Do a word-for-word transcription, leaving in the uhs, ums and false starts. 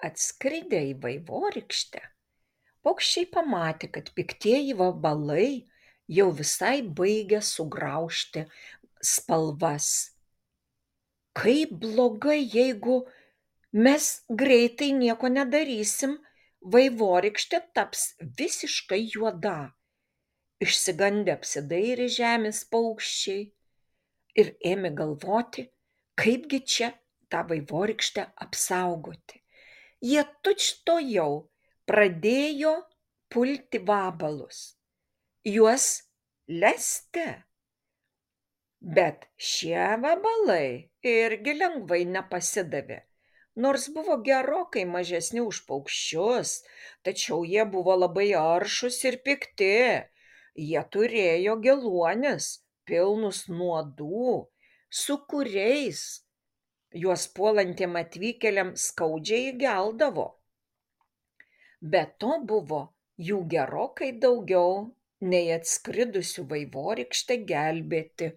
Atskridę į vaivorykštę, paukščiai pamatė, kad piktieji vabalai jau visai baigia sugraužti spalvas. Kaip blogai, jeigu mes greitai nieko nedarysim, vaivorykštė taps visiškai juoda. Išsigandę apsidairė žemės paukščiai ir ėmė galvoti, kaipgi čia tą vaivorykštę apsaugoti. Jie tučtuojau pradėjo pulti vabalus, juos lesti. Bet šie vabalai irgi lengvai nepasidavė. Nors buvo gerokai mažesni už paukščius, tačiau jie buvo labai aršūs ir pikti. Jie turėjo geluonis, pilnus nuodų, su kuriais juos puolantiem atvykėliam skaudžiai įgeldavo. Be to buvo jų gerokai daugiau nei atskridusių vaivorykštę gelbėti